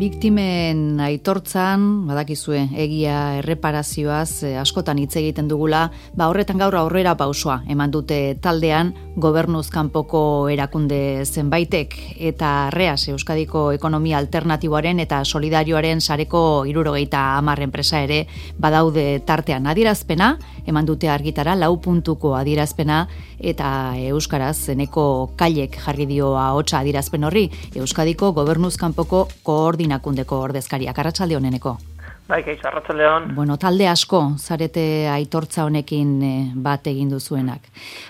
Biktimen aitortzan, badakizue, egia erreparazioaz askotan hitz egiten dugula, horretan gaur aurrera pausoa eman dute taldean gobernuz kanpoko erakunde zenbaitek eta REAS Euskadiko Ekonomia Alternatiboaren eta Solidarioaren sareko 70 enpresa ere badaude tartean. Adierazpena eman dute argitara 4 puntuko adierazpena eta euskaraz zeneko kailek jarri dio ahotsa adierazpen horri Euskadiko gobernuz kanpoko koordinakundeko ordezkariak. Arratsalde honeneko. Bai, kaixo, arratsalde hon. Bueno, talde asko zarete aitortza honekin bat egin duzuenak.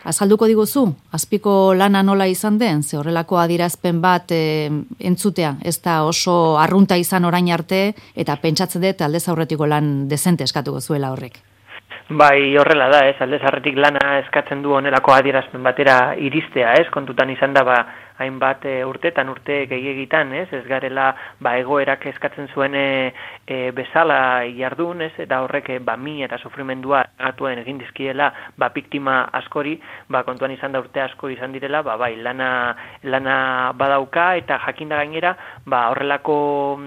Azalduko diguzu, azpiko lana nola izan den, ze horrelako adierazpen bat entzutea, ez da oso arrunta izan orain arte, eta pentsatzen dut aldez aurretiko lan dezente eskatuko zuela horrek. Bai, horrela da, aldez aurretik lana eskatzen du honelako adierazpen batera iristea, kontutan izan da, hainbat urte gehiegitan, ez garela egoerak eskatzen zuen bezala jardun, eta horrek min eta sufrimendua atuen egin dizkiela biktima askori, kontuan izan da urte asko izan direla, lana badauka eta jakinda gainera, horrelako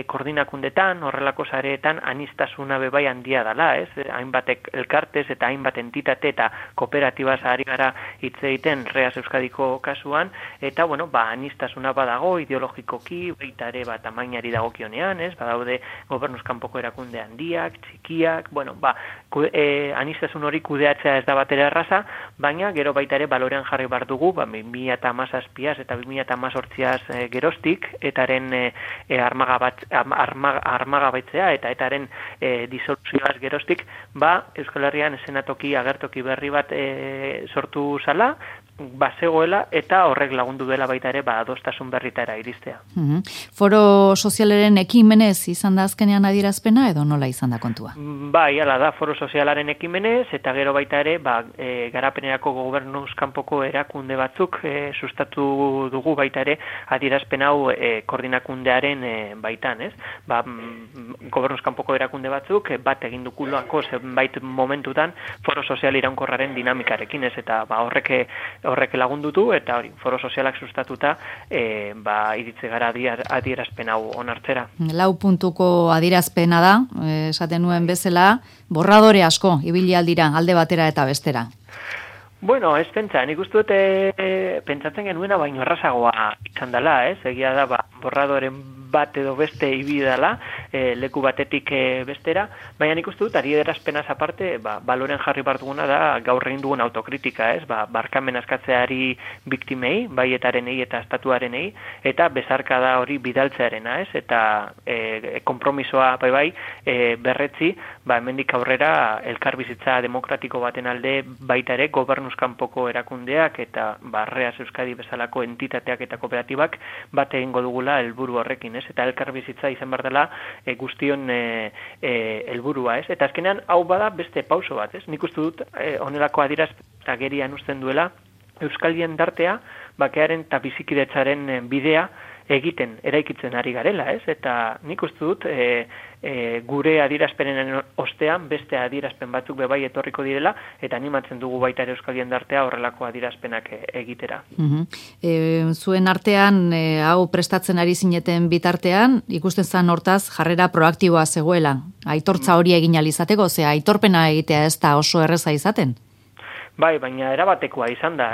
koordinakundetan, horrelako sareetan anistasuna bebai handia dela, hainbat elkartez eta hainbat entitate eta kooperatibaz ari gara hitz egiten REAS Euskadiko kasuan, eta anistasuna badago ideologikoki, baita ere tamainari dagokionean, badaude gobernuz kanpoko erakunde handiak, txikiak, anistasun hori kudeatzea ez da batera erraza, baina gero baita ere balorean jarri behar dugu, 2017 eta 2018 geroztik, etaren armagabaitzea eta etaren disoluzioaz geroztik, Euskal Herrian esenatoki agertoki berri bat sortu zala, bazegoela eta horrek lagundu dela baita ere adostasun berritara iristea. Foro sozialaren ekimenez izan da azkenean adierazpena edo nola izan da kontua? Bai, hala da, foro sozialaren ekimenez eta gero baita ere garapenerako gobernuz kanpoko erakunde batzuk sustatu dugu baita ere adierazpen hau koordinakundearen baitan, gobernuz kanpoko erakunde batzuk bat egin dukulako zenbait momentutan foro sozial iraunkorraren dinamikarekin, eta horrek lagundutu eta hori foro sozialak sustatuta iritze gara adierazpen hau onartzera. 4 puntuko adierazpena da, esaten nuen bezala, borradore asko ibili aldira alde batera eta bestera. Bueno, ez pentsa, nik uste dute pentsatzen genuena baino errazagoa izan dela, egia da borradoren bat edo beste ibili dela, leku batetik bestera, baina nik uste dut adierazpenaz aparte, baloren jarri behar duguna da gaur egin dugun autokritika, barkamen askatzeari biktimei, baietarrenei eta estatuarenei, eta bezarkada hori bidaltzearena, eta konpromisoa berretzi, hemendik aurrera elkarbizitza demokratiko baten alde baita ere gobernuz kanpoko erakundeak eta REAS Euskadi bezalako entitateak eta kooperatibak bat egingo dugula helburu horrekin, eta elkarbizitza izan behar dela guztion helburua, eta azkenean hau bada beste pauso bat, nik uste dut honelako adierazpen agerian uzten duela Euskal jendartea bakearen eta bizikidetzaren bidea eraikitzen ari garela, eta nik uste dut gure adierazpenen ostean beste adierazpen batzuk bebai etorriko direla, eta animatzen dugu baita ere Euskal jendartea horrelako adierazpenak egitera. Zuen artean, hau prestatzen ari zineten bitartean, ikusten zen hortaz jarrera proaktiboa zegoela, aitortza hori egin alizateko, aitorpena egitea ez da oso erreza izaten? Bai, baina erabatekoa izan da,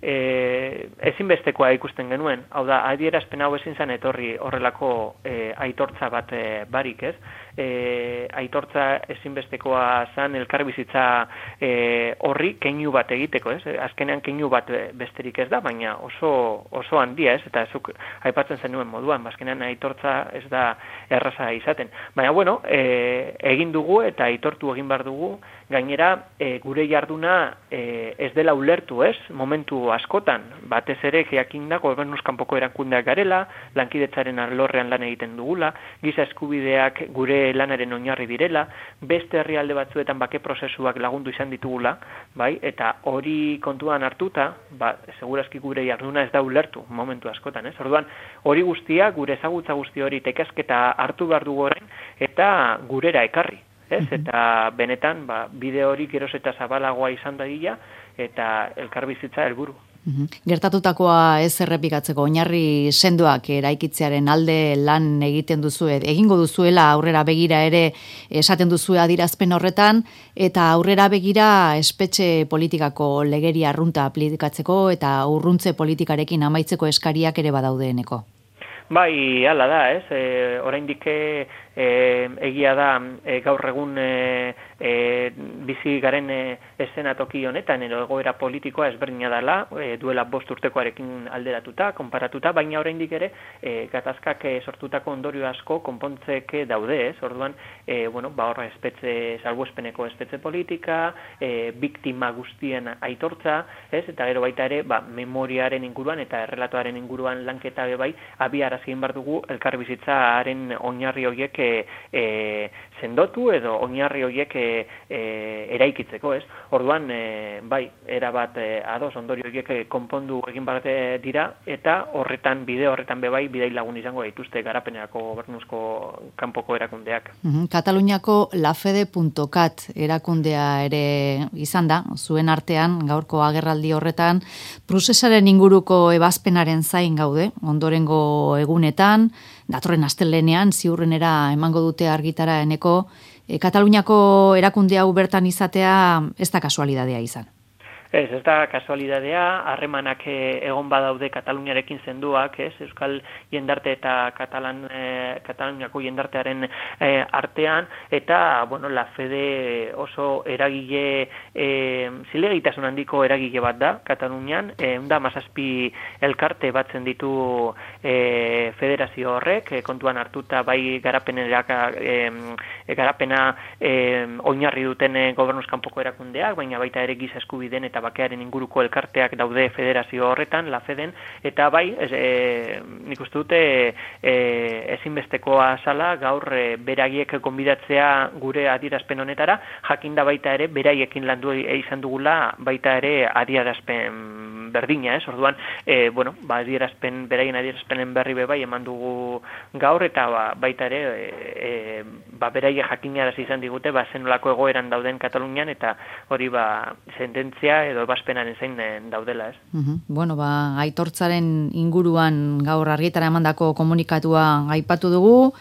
ezinbestekoa ikusten genuen, hau da, adierazpen hau ezin zen etorri horrelako aitortza bat barik, aitortza ezinbestekoa zen elkarbizitza horri keinu bat egiteko, azkenean keinu bat besterik ez da, baina oso handia, eta zuk aipatzen zenuen moduan, azkenean aitortza ez da erraza izaten. Baina, egin dugu eta aitortu egin behar dugu, gainera gure jarduna ez dela ulertu, momentu askotan, batez ere jakinda gobernuz kanpoko erakundeak garela, lankidetzaren alorrean lan egiten dugula, giza eskubideak gure lanaren oinarri direla, beste herrialde batzuetan bake prozesuak lagundu izan ditugula, eta hori kontuan hartuta, segurazki gure jarduna ez da ulertu momentu askotan, Orduan, hori guztia, gure ezagutza guzti hori tekasketa hartu behar dugu orain, eta gurera ekarri. Eta benetan, bide hori geroz eta zabalagoa izan dadila, eta elkarbizitza helburu. Gertatutakoa ez errepikatzeko oinarri sendoak eraikitzearen alde lan egiten duzue, egingo duzuela aurrera begira ere esaten duzue adierazpen horretan, eta aurrera begira espetxe politikako legeria arrunta aplikatzeko eta urruntze politikarekin amaitzeko eskariak ere badaudeeneko. Bai, hala da, ez? Oraindik egia da gaur egun bizi garen eszenatoki honetan egoera politikoa ezberdina dela, duela 5 urtekoarekin alderatuta, konparatuta, baina oraindik ere gatazkak sortutako ondorio asko konpontzeke daude, ez? Orduan, horra salbuespeneko espetxe politika, biktima guztien aitortza, ez? Eta gero baita ere, memoriaren inguruan eta errelatoaren inguruan lanketa bai, abiarazi egin behar dugu elkarbizitzaren oinarri horiek sendotu edo oinarri horiek eraikitzeko, ez? Orduan, bai, erabat ados ondorio horiek konpondu egin behar dira, eta bide horretan bai, bidai lagun izango dituzte garapenerako gobernuzko kanpoko erakundeak. Kataluniako lafede.cat erakundea ere izan da, zuen artean, gaurko agerraldi horretan, prozesaren inguruko ebazpenaren zain gaude, ondorengo egunetan, datorren astelehenean ziurrenera emango dute argitara eneko, Kataluniako erakunde hau bertan izatea ez da kasualidadea izan. Ez da kasualidadea, harremanak egon badaude Kataluniarekin zenduak, ez? Euskal jendarte eta Kataluniako jendartearen artean, eta, la Fede oso eragile, zilegitasun handiko eragile bat da, Katalunian, 17 elkarte batzen ditu federazio horrek, kontuan hartuta bai garapena oinarri duten gobernuzkanpoko erakundeak, baina baita ere giza eskubideen eta bakearen inguruko elkarteak daude federazio horretan, la Feden, eta bai, nik uste dute ezinbestekoa zala gaur beraiek gonbidatzea gure adierazpen honetara, jakinda baita ere beraiekin landu izan dugula baita ere adierazpen berdina, ez? Orduan, beraien adierazpenen berri bai eman dugu gaur, eta baita ere beraiek jakinarazi izan digute zenolako egoeran dauden Katalunian, eta hori sententzia edo ebazpenaren zein daudela, ez? Aitortzaren inguruan gaur argitara emandako komunikatua aipatu dugu,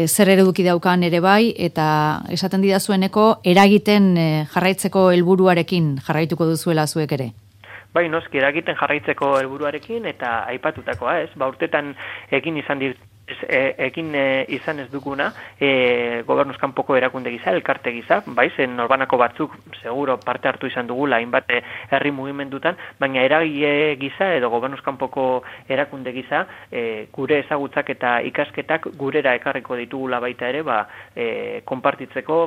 zer eduki daukan ere bai, eta esaten didazueneko eragiten jarraitzeko helburuarekin jarraituko duzuela zuek ere. Bai, noski, eragiten jarraitzeko helburuarekin eta aipatutakoa, ez? Urtetan egin izan ez duguna gobernuzkanpoko erakunde gisa, elkarte gisa, bai, zen norbanako batzuk seguro parte hartu izan dugula hainbat herri mugimendutan, baina eragile gisa edo gobernuzkanpoko erakunde gisa gure ezagutzak eta ikasketak gurera ekarriko ditugula baita ere, konpartitzeko,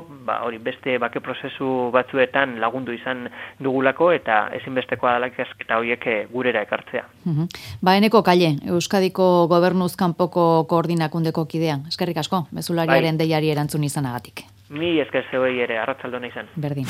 hori beste bake prozesu batzuetan lagundu izan dugulako, eta ezinbestekoa dela ikasketa horiek gurera ekartzea. Eneko Kalle, Euskadiko gobernuzkanpoko koordinakundeko kidea. Eskerrik asko, mezulariaren deiari erantzun izanagatik. Ni esker zeuei ere, arratsaldona izan. Berdin.